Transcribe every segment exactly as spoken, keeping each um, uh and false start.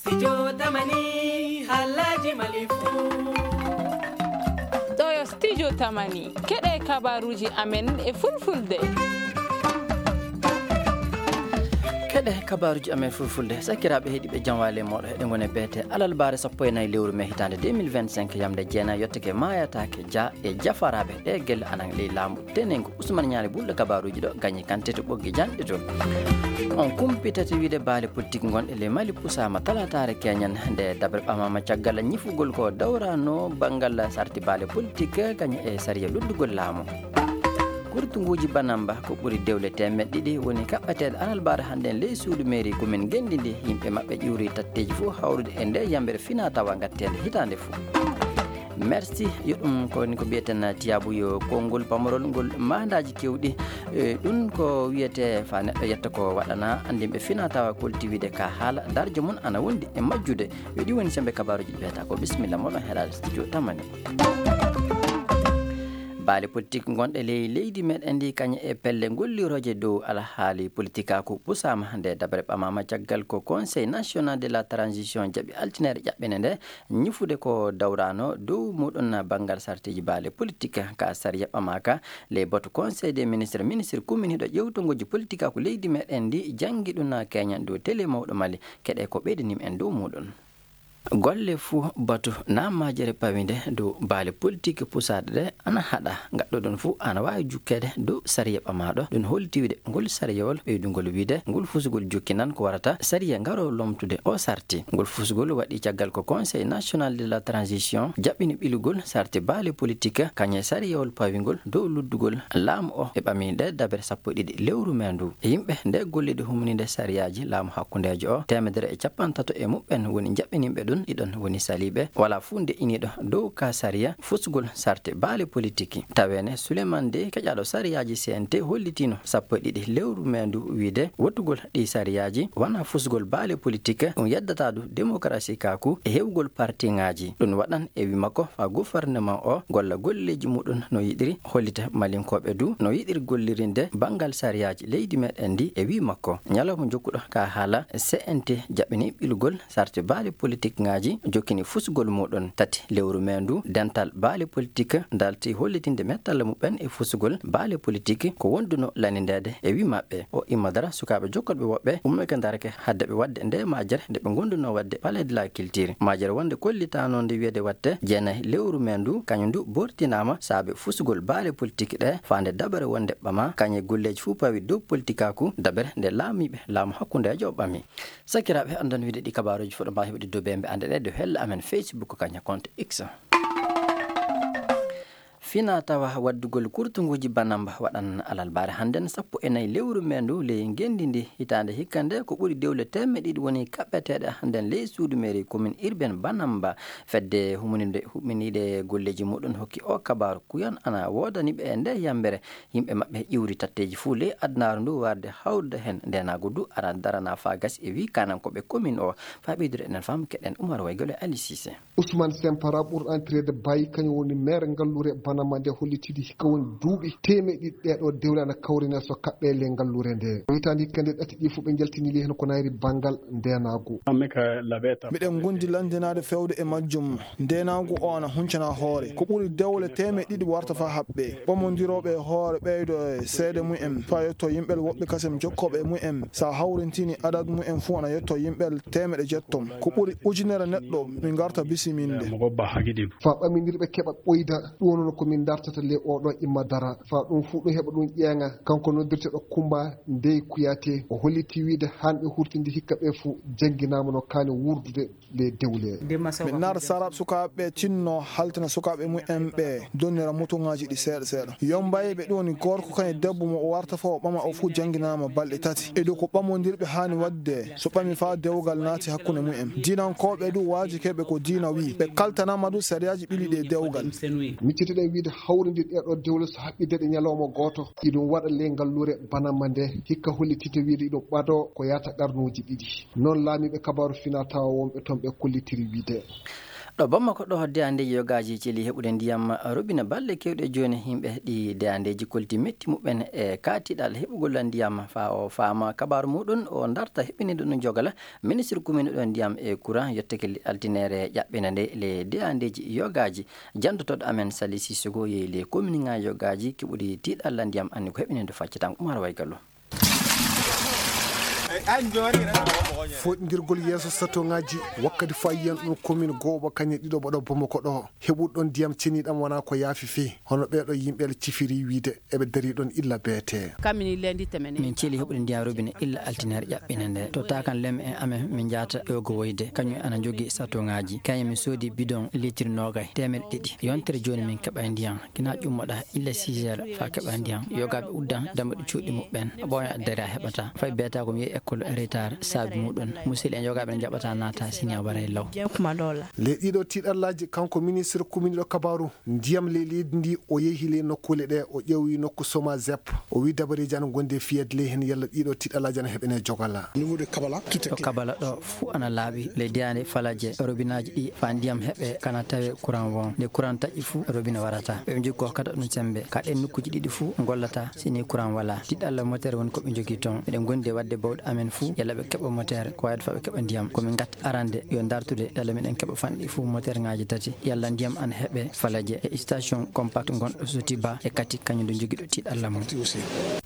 Studio Tamani, Halaji Malifu. Ɗo yo Studio Tamani, keɗe kabaruji amen e fulfulde. Keɗe kabaruji amen fulfulde, sakiraaɓe heɗiiɓe, jam waale mooɗo, heɗe ngone beete alalbaare sappo e nayi lewru me hitaande deux mille vingt-cinq, yamde jeenayi yottake maayataake, ja e jafaraaɓe ɗe gelle anan ley laamu tenengu. Usman Ñaali Bulɗo kabaruuji ɗo gañi kante to ɓoggi janɗe to. On kumpitata wiide baale politique ngonɗe ley Mali pusaama talataare keñen nde dabre ɓamaama caggal ñifugol ko dawrano banngal sarti baale politique gañi e sariya luddugol laamu. Kurtunguuji Banamba ko ɓuri dewle teemeɗɗe ɗiɗi woni kaɓɓeteeɗe alalbaare hannden ley suudu mairie commune Ngenndi ndi. Yimɓe maɓɓe ƴuuri tatteeji fof hawrude e nde yambere fina tawa ngatteende hitaande fof. Merci, yo ɗum ko woni ko mbiyeten tiyaabu, yo konngol pamorol ngol maandaaji keewɗi. E, ɗum ko wiyetee fa neɗɗo yetta ko waɗana anndinɓe fina tawa kolti wiide ka haala darjo mum ana wondi e majjude. Yo ɗi woni sembe kabaruuji ɗi mbiyata ko bisimilla moɗon heɗaade studio Tamani. Baale politique ngonɗe ley leydi meɗen ndi kañe e pelle gollirooje dow alhaali politikaaku pusaama nde dabre ɓamaama caggal ko Conseil National de la Transition jaɓi altinere ƴaɓɓene nde ñifude ko dawrano dow muɗum banngal sartiji baale politique ka sariya ɓamaka ley batu Conseil des ministres, ministre kuminiɗo ƴewtongoji politikaaku leydi meɗen ndi janngi ɗum keñan dow télé mawɗo Mali. Keɗe ko ɓeydanimi en dow muɗum. Golle fuu batu na majere pawinde dow baale politique pusaɗe ɗe ana haɗa. Gaɗɗo ɗum fuu ana waawi jukkeede dow sariya ɓamaaɗo. Ɗum holliti wiide ngol sariyawol ɓeydugol wiide ngol fusugol jokkinan ko warata sariya ngaro lomtude o sarti. Ngol fusugol waɗi caggal ko Conseil National de la Transition jaɓɓini ɓilugol sarti baale politique kañe sariyawol pawingol dow luddugol laamu o e ɓaminde dabre sappo e ɗiɗi lewru me ndu. Yimɓe nde gollide humninde sariyaaji laamu hakkundeejo o, teemedere e capanɗe tato e muɓɓen woni jaɓɓininɓe ɗum, ɗiɗon woni saliiɓe. Wala fuu nde iniiɗo dow ka sariya fusgol sarte baale politiki. Taweene Souleymane Dey, keƴaaɗo sariyaaji C N T, hollitiino sappo e ɗiɗi lewru me ndu wiide wottugol ɗi sariyaaji wona fusgol baale politik, ɗum yeddataa du demokarasi kaaku e heɓugol partiŋaaji. Ɗum waɗan e wi makko fa gouvernement o golla golleeji muɗum no yiɗiri, hollita Malinkooɓe du no yiɗiri gollirinde banngal sariyaaji leydi meɗen ndi e wi makko. Ñalawma jokkuɗo ka haala, C N T jaɓɓini ɓilugol sarte baale politik ŋaaji, jokkini fusgol muɗum. Tati lewru me ndu, dental baale politik dalti hollitinde mettalla muɓɓen e fusgol baale politik ko wonduno lanindeede e wi maɓɓe. O imma dara sukaaɓe jokkorɓe woɓɓe ummoyke darake hadde ɓe waɗde nde majere nde ɓe gonduno waɗde Palais de la Culture. Majere wonde kollitano nde wiyede watte jeenayi lewru me ndu, kañum ndu bortinaama saabe fusgol baale politik ɗe faande dabare wonde ɓama kañe golleeji fuu pawi dow politikaku dabere nde laamiiɓe laamu hakkundeejo o ɓami. Sakiraaɓe, andan wiide ɗi kabaruuji fuɗo mbawi heɓude dow bembe ande ɗe dow hella amen Facebook kaña compte X. Fina tawa waddugol kurtunguuji Banamba waɗan alalbaare hannden sappo e nayi lewru me ndu ley ngenndi ndi. Hitaande hikka nde ko ɓuri dewle teemeɗɗe ɗiɗi woni kaɓɓeteeɗe hannden ley suudu mairie commune urbaine Banamba. Fedde huminide, huminiiɗe golleeji muɗum hokki o kabaaru kuyan ana woodani ɓe e nde yambere. Yimɓe maɓɓe ƴiwri tatteeji fuu ley adunaaru ndu warde hawrude heen. Ndeenaagu du ara darana faa gasi e wii kaanankooɓe commune o. Faa ɓeydude enen faamu keɗen Umar Waygol e Ali Cissé. Ousmane Sempara ɓurɗo andireede Baye, kañum woni maire ngalluure Banama nde hollitidi hikka woni duuɓi teemeɗɗe ɗiɗi ɗee ɗoo dewle ana kawrine so kaɓɓe ley ngalluure nde. Hitaande hikka nde ɗati ɗi fof ɓe njaltinili heen ko nayri banngal ndeenaagu. Miɗen ngondi lanndinaade feewde e majjum. Ndeenaagu o ana huncana hoore. Ko ɓuri dewle teemeɗɗe ɗiɗi warta faa haɓɓe. Ɓamondirooɓe e hoore ɓeydo e seede mumen faa yetto yimɓel woɓɓe kasem jokkooɓe e mumen. So a hawrintini adad mumen fuu ana yetto yimɓel teemeɗe jeetto. Ko ɓuri ujunere neɗɗo min ngarta bisiminde. Faa ɓamindirɓe keɓa ɓoyda, ɗum noon ko min dartata ley oo ɗoo imma dara. Faa ɗum fuu ɗum heɓa ɗum ƴeeŋa. Kanko noddirteeɗo Kumba Ndey Kuyate, o holliti wiide haan ɓe hurtindi hikka ɓe fuu jannginaama no kaani wuurdude. Nde dewle. Min nar sarat sukaaɓe tinno haltina sukaaɓe mumen ɓe donnira mutuŋaaji ɗi seeɗa seeɗa. Yombayɓe ɗum woni gorko kañum debbo mo o warta fo o ɓama o fuu jannginaama balɗe tati. E ɗo ko ɓamondirɓe haani waɗde so ɓami faa dewgal naati hakkunde mumen. Diinankooɓe du waajikeeɓe ko diina wii. Ɓe kaltanaama du sariyaaji ɓili ɗe dewgal. Miccitiɗen wiide hawrindi ɗee ɗoo dewle so haɓɓi daɗi ñalawma gooto. Iɗum waɗa ley ngalluure Banama nde hikka hollitite wiide iɗum ɓadoo ko yaata qarnuuji ɗiɗi. Noon laamiiɓe kabaaru fina tawa wonɓe toon ɓe kollitiri wiide. Ɗo Bamako ɗo, deyandeeji yogaaji celi heɓude ndiyam robine balɗe keewɗe jooni. Yimɓe ɗi deyandeeji kolti metti muɓɓen e kaatiɗal heɓugol ndiyam. Faa o faama kabaaru muɗum, o darta heɓiniiɗo ɗum jogala, ministre kumiiɗo ɗo ndiyam e courant, yottake le altineere ƴaɓɓina nde le deyandeeji yogaaji. Janndotooɗo amen Sali Sissoko yehi le kominiŋaaji yogaaji keɓuɗi tiiɗalla ndiyam, anni ko heɓiniiɗo faccatam Umar Waygallo. Foɗndirgol yeeso satoŋaaji wakkati faayiyan ɗum komin gooɓa kañe ɗiɗo ɓaɗo Bamako ɗo. Heɓuɗon ndiyam ceniɗam wonaa ko yaafi fii, hono ɓeeɗo yimɓe cifiri wiide eɓe darii ɗon illa beete. Min celi heɓude ndiyam robine illa altineer ƴaɓɓina nde. To taakan lemme en amen min njaata ƴoogo woyde, kañum ana jogii satoŋaaji. Kañum min soodi bidon litir noogay, teemeɗe ɗiɗi. Yontere jooni min keɓay ndiyam. Kina ƴummoɗa illa six heures faa keɓa ndiyam. Yogaaɓe uddan dammuɗe cuuɗi muɓɓen. Ɓooya addere a heɓata. Fay beeta ko mi yehi école e retard saabi muɗum. Musidɓe en yogaaɓe ne jaɓata naata sini a waray law. Ley ɗiɗo tiiɗallaaji, kanko ministre kuminiiɗo kabaaru ndiyam ley leydi ndi, o yehi ley nokkuule ɗe, o ƴeewi nokku Somazep. O wi dabareeji ana ngondi e fiyeede ley heen yalla ɗiɗo tiiɗallaaji ana heɓene jogala. Ɗo Kabala ɗo fuu ana laaɓi. Ley deyaande Falaje, robinaaji ɗi faa ndiyam heɓe kana tawe kuran won. Nde kuran taƴi fuu, robine warata. Ɓe njogi ko hokkata ɗum semmbe. Ka ɗeen nokkuuji ɗiɗi fuu ngollata sini kuran walaa. Tiiɗalla moteer woni ko ɓe njogii toon. Miɗen ngondi e waɗde bawɗe amen fuu, yalla ɓe keɓa moteer, ko waawde faa ɓe keɓa ndiyam. Ko min ngatta arande yo ndartude, yalla miɗen keɓa fanɗi fuu moteerŋaaji tati, yalla ndiyam ana heɓe Falaje e station compact ngonɗo Sotiba e Kati, kañum ndu jogiiɗo tiiɗalla mum.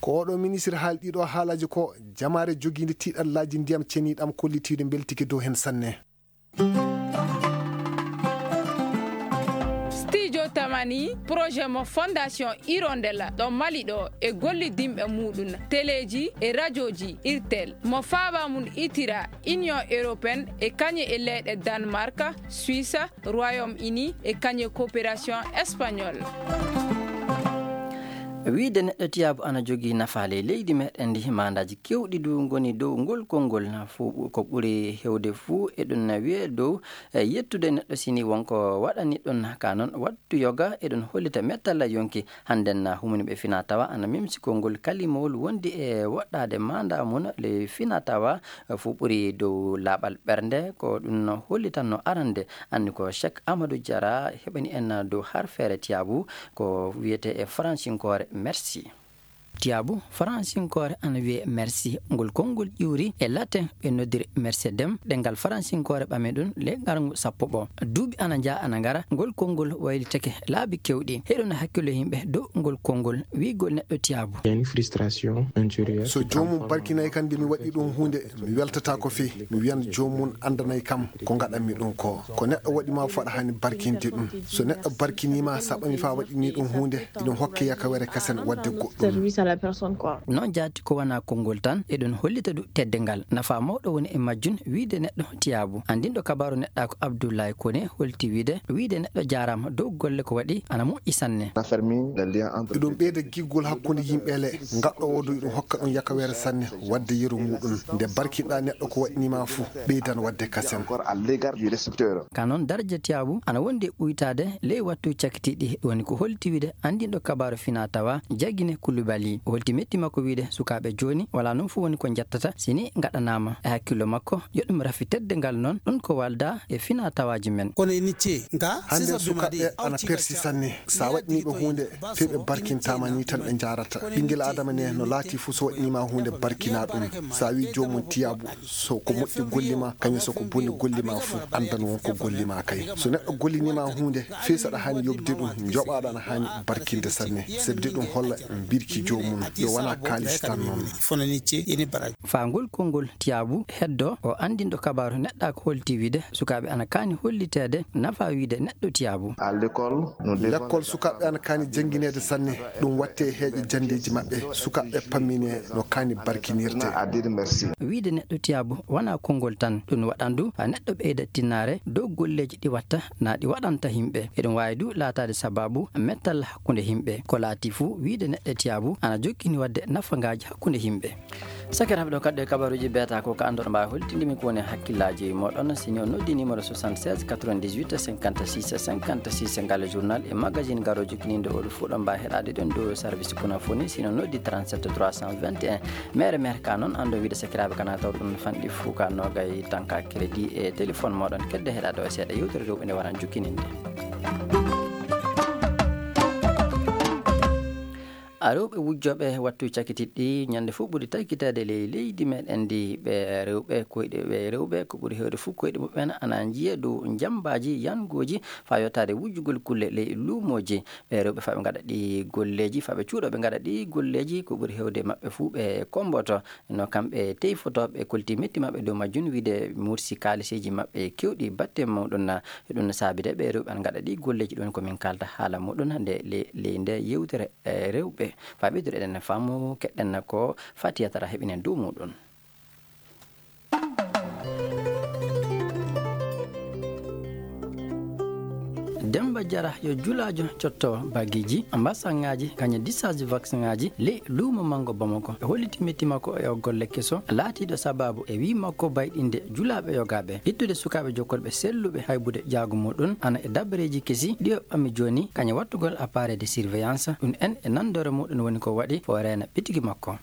Ko oɗo ministre haali ɗiɗo haalaaji ko jamaare jogiinde tiiɗallaaji ndiyam ceniɗam kollitiiɗo mbeltike dow heen sanne. Studio Tamani, projet mo Fondation Hirondella ɗo Mali ɗo e gollidinɓe muɗum, teleeji e rajooji Irtel, mo faaba mum itira Union Européenne e kañe e leyɗe Danemark, Suisse, Royaume-Uni e kañe coopération espagnol. Wiyde neɗɗo tiyaabu ana jogii nafa ley leydi meɗen ndi, maandaaji keewɗi du ngoni dow ngol konngol. Fuu ko ɓuri heewde fuu eɗum wiyee dow e yettude neɗɗo sini wonko waɗani ɗum ka noon wattu yoga, eɗum hollita mettalla yonki. Hannden humaniiɓe fina tawa ana memsi konngol kalimawol wondi e woɗɗaade maandaa mum ley fina tawa fuu ɓuri dow laaɓal ɓernde. Ko ɗum hollitanno arande anni ko Cheikh Amadou Diarra heɓani en dow harfeere tiyaabu ko wiyetee e faransinkoore merci. Tiyaabu faransinkoore ana wiyee merci. Ngol konngol ƴuuri e latin ɓe noddiri mercedem, ɗemngal faransinkoore ɓami ɗum ley ngarngu sappo ɓo. Duuɓi ana njaha ana ngara, ngol konngol waylitake laabi keewɗi. Heɗon hakkillo yimɓe dow ngol konngol wiygol neɗɗo tiyaabu. Frustration intérieure. So joomum barkinay kan nde mi waɗi ɗum huunde, mi weltata ko fii, mi wiyan joomum anndanay kam ko ngaɗanmi ɗum ko. Ko neɗɗo waɗi ma fuu aɗa haani barkinde ɗum. So neɗɗo barkinii ma, saɓa mi faa waɗini ɗum huunde, iɗum hokke yakawere kasen waɗde goɗɗum. Noon jaati ko wonaa konngol tan, eɗum hollita du teddungal. Nafa mawɗo woni e majjum wiyde neɗɗo tiyaabu. Anndinɗo kabaaru neɗɗaaku Abdoulaye Koné holti wiyde, wiyde neɗɗo jaaraama dow golle ko waɗi ana moƴƴi sanne. Iɗum ɓeyda giggol hakkunde yimɓe le, ngaɗɗo o du iɗum hokka ɗum yakawere sanne waɗde yeru muɗum. Nde barkinɗa neɗɗo ko waɗni ma fuu, ɓeydan waɗde kasen. Ka noon daraja tiyaabu ana wondi e ɓuytaade ley wattu cakitiiɗi. Ɗum woni ko holti wiyde anndinɗo kabaaru fina tawa Jagine Koulibaly. O holti metti makko wiyde sukaaɓe jooni walaa noon fuu woni ko njettata sini ngaɗanaama. E hakkillo makko yo ɗum rafi teddungal noon ɗum ko walda e fina tawaaji men. Hannden sukaaɓe ana persi sanne. Sa waɗni ɓe huunde fii ɓe barkintaama ni tan ɓe njaarata. Ɓinngel Aadama ne no laati fuu so waɗni ma huunde barkina ɗum. Sa wi joomum tiyaabu, so ko moƴƴi golli ma, kañum so ko boni golli ma fuu, anndan won ko golli ma kay. So neɗɗo gollini ma huunde, fii saɗa haani yoɓde ɗum, njoɓaaɗo ana haani barkinde sanne. Sabi de ɗum holla mbirki joomum, yo wonaa kaalis tan noon. Faa ngol konngol tiyaabu heddo, o anndinɗo kabaaru neɗɗaaku holti wiyde sukaaɓe ana kaani holliteede nafa wiyde neɗɗo tiyaabu. Lekkol sukaaɓe ana kaani janngineede sanne, ɗum watte heeƴe janndeeji maɓɓe, sukaaɓe pammine no kaani barkinirte. Wiyde neɗɗo tiyaabu wonaa konngol tan, ɗum waɗan du haa neɗɗo ɓeyda tinnaare dow golleeji ɗi watta naa ɗi waɗanta yimɓe. Eɗum waawi du laataade sabaabu mettal hakkunde yimɓe. Ko laati fuu wiyde neɗɗo tiyaabu ana Jokkini waɗde nafangaaji hakkunde yimɓe. Sakiraaɓe, ɗo kadi e kabaruuji beeta ko ka anndon mbaawi hollitinde min ko woni hakkillaaji mooɗon. Si ni on noddi numéro soixante-seize quatre-vingt-dix-huit cinquante-six cinquante-six, ngal journal e magazine garo jokkiniinde oɗo fuu ɗon mbaawi heɗaade ɗon ɗo service Kunafoni. Si ni on noddi trente-sept trois cent vingt et un. Mere mere ka noon anndon wiide sakiraaɓe kana taw ɗum fanɗi fuu ka noogay tanka crédit e téléphone mooɗon kedde heɗaade o seeɗa yewtere rewɓe nde waran jokkininde. A rewɓe wujjooɓe wattu cakititɗi ñande fof ɓuri takkitaade ley leydi meɗen ndi. Ɓe rewɓe koyɗe, ɓe rewɓe ko ɓuri heewde fof koyɗe muɓɓen ana njiya dow njambaaji yangooji faa yottaade wujjugol kulle ley luumooji. Ɓe rewɓe faa ɓe ngaɗa ɗi golleeji, faa ɓe cuuɗo ɓe ngaɗa ɗi golleeji, ko ɓuri heewde maɓɓe fof ɓe kommboto. No kamɓe teyfotooɓe kolti metti maɓɓe dow majjum, wiide mursi kaaliseeji maɓɓe keewɗi batte muɗum. Ɗum no saabide ɓe rewɓe ana ngaɗa ɗi golleeji. Ɗum ko min kaalta haala muɗum nde le-, ley nde yewtere, e, rewɓe. Faa ɓeydude eɗen faamu keɗɗen ko Fatiya Tara heɓinen dow muɗum. Demba Jara yo julaajo cotto bagiiji, mbasaŋaaji, kañe discharge vaccin ŋaaji ley luumo manngo Bamako. E holliti metti makko e o golle keso laatiiɗo sababu e wii makko bayɗinde julaaɓe yogaaɓe, ittude sukaaɓe jokkorɓe selluɓe haybude jaagu muɗum, ana e dabareeji kesi ɗi o ɓami jooni, kañe wattugol appareil de surveillance. Ɗum en e nanndore muɗum woni ko waɗi o reena ɓitigi makko.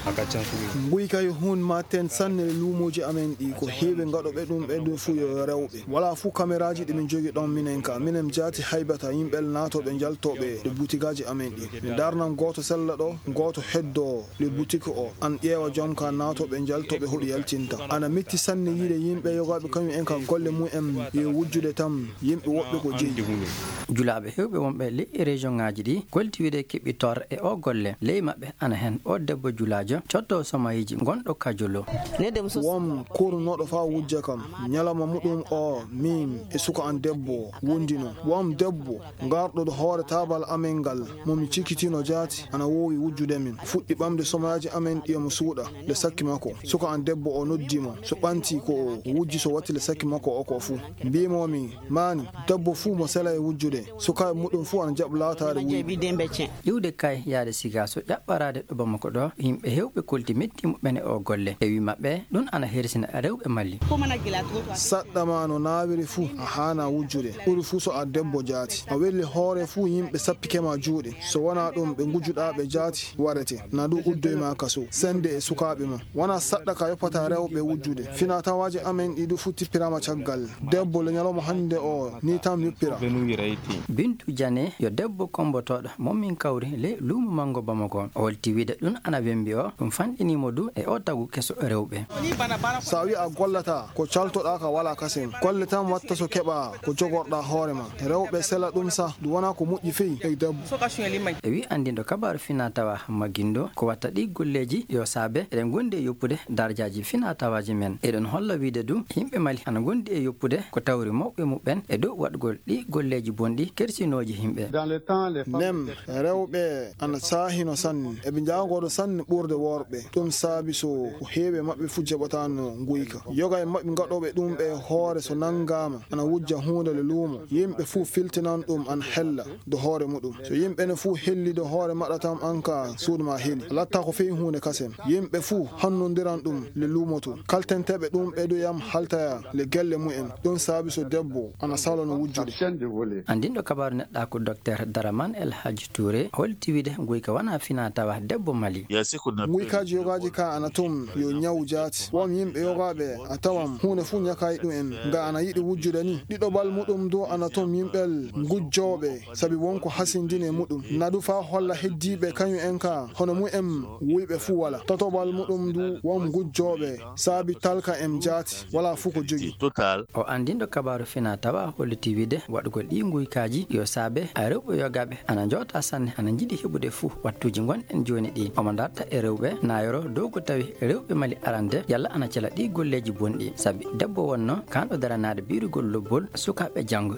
Nguy kay huun maaten sanne e luumooji amen ɗi, ko heewi ngaɗooɓe ɗum ɓe ɗum fuu yo rewɓe. Walaa fuu kameraaji ɗi min njogi ɗon minen ka. Minen jaati haybata yimɓe naatooɓe njaltooɓe e butigaaji amen ɗi. Mi darnan gooto sella ɗo, gooto heddoo le boutique o, an ƴeewa joom ka naatooɓe njaltooɓe hoɗi yaltinta. Ana metti sanne yiide yimɓe yogaaɓe kañum en ka golle mum en yo wujjude tan yimɓe woɓɓe ko jeyi. Julaaɓe heewɓe wonɓe ley région ŋaaji ɗi kolti wiide keɓi tor e o golle. Ley maɓɓe ana hen o debbo julaajo cotto somayiiji gonɗo Kajolo. Won kurnooɗo faa wujja kam. Ñalawma muɗum o, min e suka an debbo wondino. Won debbo garɗo ɗo hoore taabal amen ngal, mo mi cikitino jaati, ana woowi wujjude min. Fuɗɗi ɓamde somayaaji amen ɗi mo suuɗa. Nde sakki makko, suka an debbo o noddi mo. So ɓanti ko o wujji, so watti le sakki makko o ko fuu. Mbiimo mi, maani, debbo fuu mo sela e wujjude, sukaaɓe muɗum fuu ana jaɓa laataade wuyɓe. Iwde kay yaade siga so ƴaɓɓaraade ɗo Bamako ɗo, yimɓe heewɓe kolti metti muɓɓen e o golle. E wii maɓɓe, ɗum ana hersina rewɓe Mali. Saɗɗa ma no naawiri fuu, a haana wujjude. Ɓuri fuu so a debbo jaati. A welli hoore fuu, yimɓe sappike ma juuɗe. So wonaa ɗum, ɓe ngujjuɗaa ɓe jaati warete. Na ɗum uddoy ma kaso. Sende e sukaaɓe ma. Wonaa saɗɗa ka yoppata rewɓe wujjude. Finaa tawaaji amen ɗi ɗum fuu tippiraama caggal. Debbo le ñalawma hannde o, ni tan yoppira. Bintu Jane yo debbo kommbotooɗo mo min kawri ley luumo manngo Bamako. O holti wiide ɗum ana wembi o, ɗum fanɗinii mo du e o tagu keso rewɓe. So a wii a gollataa, ko caltoɗaa ka walaa kasen. Golle tan watta so keɓaa ko jogorɗaa hoore ma. Rewɓe sela ɗum sa, ɗum wonaa ko moƴƴi fey e debbo. E wii anndinɗo kabaaru finaa tawa Magindo, ko watta ɗi golleeji yo saabe eɗen ngondi e yoppude darajaaji finaa tawaaji men. Eɗen holla wiide du, yimɓe Mali ana ngondi e yoppude ko tawri mawɓe muɓɓen e dow waɗgol ɗi golleeji bonɗi kersinooji yimɓe. Nem, rewɓe ana saahino sanne. Eɓe njaagoodo sanne ɓurde worɓe. Ɗum saabi so ko heewi e maɓɓe fuu jaɓataano nguyka. Yoga e maɓɓe gaɗooɓe ɗum ɓe hoore so nanngaama ana wujja huunde le luumo. Yimɓe fuu filtinan ɗum ana hella do hoore muɗum. So yimɓe ne fuu helli do hoore maɗa tan, an ka suudu ma heli. Latta ko fii huunde kasen. Yimɓe fuu hannondiran ɗum le luumo to. Kaltenteeɓe ɗum ɓe du yam haltaya le gelle mumen. Ɗum saabi so debbo ana salono wujjude. Anndinɗo kabaaru neɗɗaaku Docteur Daraman El Hadji Touré holti wiide nguyka wonaa finaa tawa debbo Mali. Nguykaaji yogaaji ka ana toon yo ñaw jaati. Won yimɓe yogaaɓe a tawan huunde fuu ñakaay ɗum en. Nga ana yiɗi wujjude ni. Ɗiɗoɓal muɗum du ana toon yimɓel ngujjooɓe, sabi won ko hasindini e muɗum. Na du faa holla heddiiɓe kañum en ka hono mumen wuyɓe fuu wala. Tatoɓal muɗum du won ngujjooɓe, sabi talka en jaati, wala fuu ko jogi. O anndinɗo kabaaru finaa tawa holliti wiide waɗugol ɗii nguykaaji yo saabe a rewɓe yogaaɓe ana njootaa sanne, ana njiɗi heɓude fuu wattuuji ngonɗen jooni ɗii. Omo darta e rewɓe naayoro dow ko tawi rewɓe Mali arande yalla ana cela ɗii golleeji bonɗi, sabi debbo wonno kaanɗo daranaade biirugol lobbol sukaaɓe janngo.